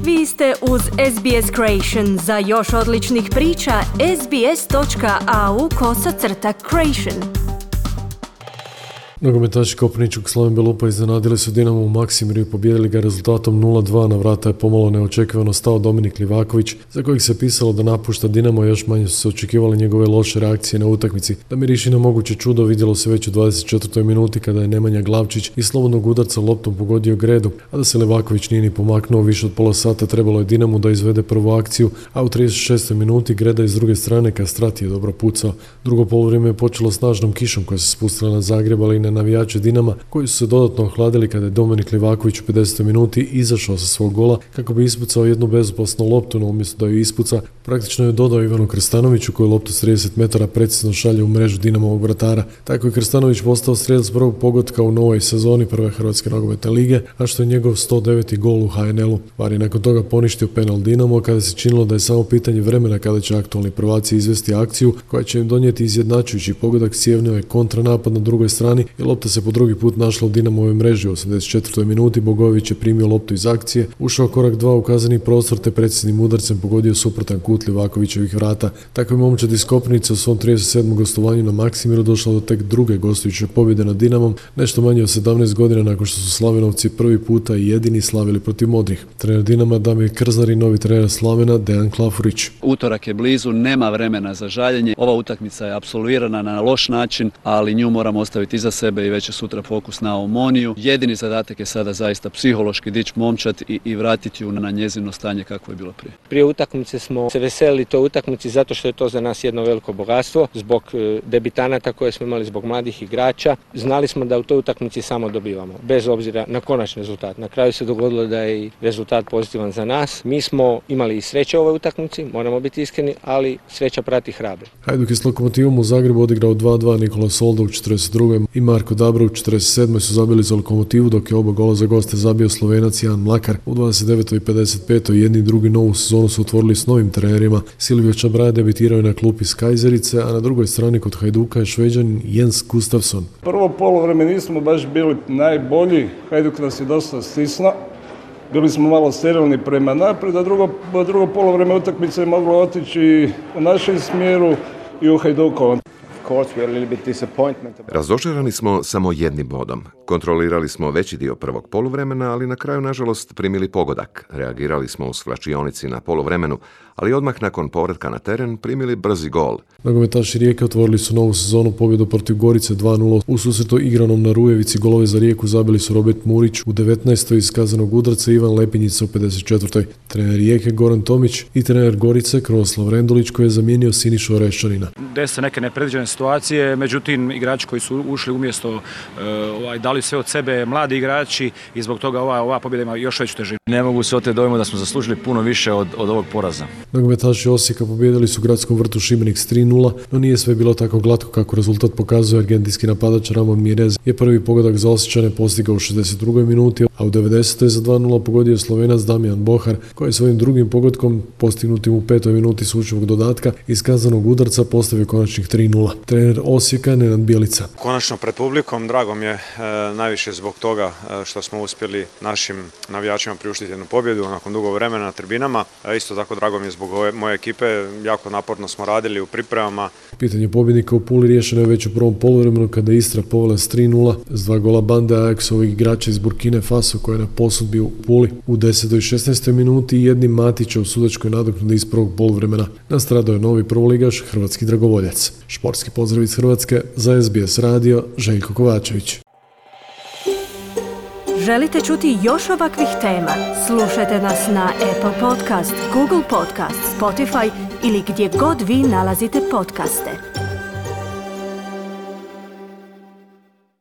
Vi ste uz SBS Creation. Za još odličnih priča, sbs.au/creation. Nogometaši Koprivničkog Slaven Belupa iznenadili su Dinamo u Maksimirju i pobijedili ga rezultatom 0-2. Na vrata je pomalo neočekivano stao Dominik Livaković, za kojeg se pisalo da napušta Dinamo, još manje su se očekivale njegove loše reakcije na utakmici. Da miriši na moguće čudo vidjelo se već u 24. minuti kada je Nemanja Glavčić iz slobodnog udarca loptom pogodio Gredu, a da se Livaković nije ni pomaknuo više od pola sata trebalo je Dinamo da izvede prvu akciju, a u 36. minuti Greda iz druge strane Kastrati je dobro pucao. Drugo poluvrijeme je počelo snažnom kišom koja se spustila na Zagreb, ali i na navijače Dinama, koji su se dodatno ohladili kada je Dominik Livaković u 50. minuti izašao sa svog gola kako bi ispucao jednu bezopasnu loptu, no umjesto da ju ispuca, praktično je dodao Ivanu Krstanoviću koji loptu s 30 metara precizno šalje u mrežu Dinamovog vratara. Tako je Krstanović postao strelac prvog pogotka u novoj sezoni prve Hrvatske nogometne lige, a što je njegov 109. gol u HNL-u. VAR je nakon toga poništio penal Dinamo kada se činilo da je samo pitanje vremena kada će aktualni prvaci izvesti akciju koja će im donijeti izjednačujući pogodak. Sjevnio je kontranapad na drugoj strani i lopta se po drugi put našla u Dinamovoj mreži. U 84. minuti Bogojević je primio loptu iz akcije, ušao korak 2 u kazneni prostor te preciznim udarcem pogodio suprotan kut Livakovićevih vrata. Tako je momčad iz Koprivnice u svom 37. gostovanju na Maksimiru došla do tek druge gostujuće pobjede nad Dinamom, nešto manje od 17 godina nakon što su Slavenovci prvi puta i jedini slavili protiv modrih. Trener Dinama Damir Krznar i novi trener Slavena Dejan Klafurić. Utorak je blizu, nema vremena za žaljenje. Ova utakmica je apsolvirana na loš način, ali nju moramo ostaviti iza sebe i već je sutra fokus na Omoniju. Jedini zadatak je sada zaista psihološki dići momčad i vratiti ju na njezino stanje kako je bilo prije. Prije utakmice smo se veselili toj utakmici zato što je to za nas jedno veliko bogatstvo, zbog debitanata koje smo imali, zbog mladih igrača. Znali smo da u toj utakmici samo dobivamo, bez obzira na konačni rezultat. Na kraju se dogodilo da je i rezultat pozitivan za nas. Mi smo imali i sreće u ovoj utakmici, moramo biti iskreni, ali sreća prati hrabre. Hajduk je s Lokomotivom u Zagrebu odigrao 2-2, Nikola Solda u 42. i Marko Dabro u 47. su zabili za Lokomotivu, dok je oba gola za goste zabio Slovenac Jan Mlakar. U 29. i 55. jedni i drugi novu sezonu su otvorili s novim trenerima. Silvio Čabraja debitirao je na klupi iz Kajzerice, a na drugoj strani kod Hajduka je Šveđanin Jens Gustafsson. Prvo poluvreme nismo baš bili najbolji, Hajduk nas je dosta stisnuo. Bili smo malo sterilni prema naprijed, a drugo poluvreme utakmice je moglo otići u našem smjeru i u Hajdukovom. Razočarani smo samo jednim bodom. Kontrolirali smo veći dio prvog poluvremena, ali na kraju, nažalost, primili pogodak. Reagirali smo u svlačionici na poluvremenu, ali odmah nakon povratka na teren primili brzi gol. Nogometaši Rijeke otvorili su novu sezonu pobjedu protiv Gorice 2-0. U susretu igranom na Rujevici golove za Rijeku zabili su Robert Murić u 19. iz kaznenog udarca, Ivan Lepinjica u 54. Trener Rijeke Goran Tomić i trener Gorice Krunoslav Rendulić koji je zamijenio Sinišu Oreščanina. Dese neke nepredviđene situacije, međutim igrači koji su ušli umjesto dali sve od sebe, mladi igrači, i zbog toga ova pobjeda ima još veću težinu. Ne mogu se oteti dojmu da smo zaslužili puno više od ovog poraza. Nogometaši Osijeka pobijedili su u gradskom vrtu Šibenik s 3-0, no nije sve bilo tako glatko kako rezultat pokazuje. Argentinski napadač Ramon Mirez je prvi pogodak za Osječane postigao u 62. minuti, a u 90. za 2-0 pogodio Slovenac Damijan Bohar, koji je svojim drugim pogodkom postignutim u 5. minuti sučevog dodatka iz kaznenog udarca postavio konačnih 3-0. Trener Osijeka Nenad Bjelica. Konačno pred publikom, drago mi je najviše zbog toga što smo uspjeli našim navijačima priuštiti jednu pobjedu nakon dugo vremena na tribinama. Isto tako drago mi je zbog moje ekipe, jako naporno smo radili u pripremama. Pitanje pobjednika u Puli riješeno je već u prvom poluvremenu kada je Istra povela s 3-0 s 2 gola bande Ajaxovih igrača iz Burkine Faso koja je na posudbi u Puli. U 10. i 16. minuti jednim Matića u sudačkoj nadoknadi iz prvog poluvremena nastradao je novi prvoligaš hrvatski dragovoljac. Športski pozdrav iz Hrvatske za SBS radio, Željko Kovačević. Želite čuti još ovakvih tema? Slušajte nas na Apple Podcast, Google Podcast, Spotify ili gdje god vi nalazite podcaste.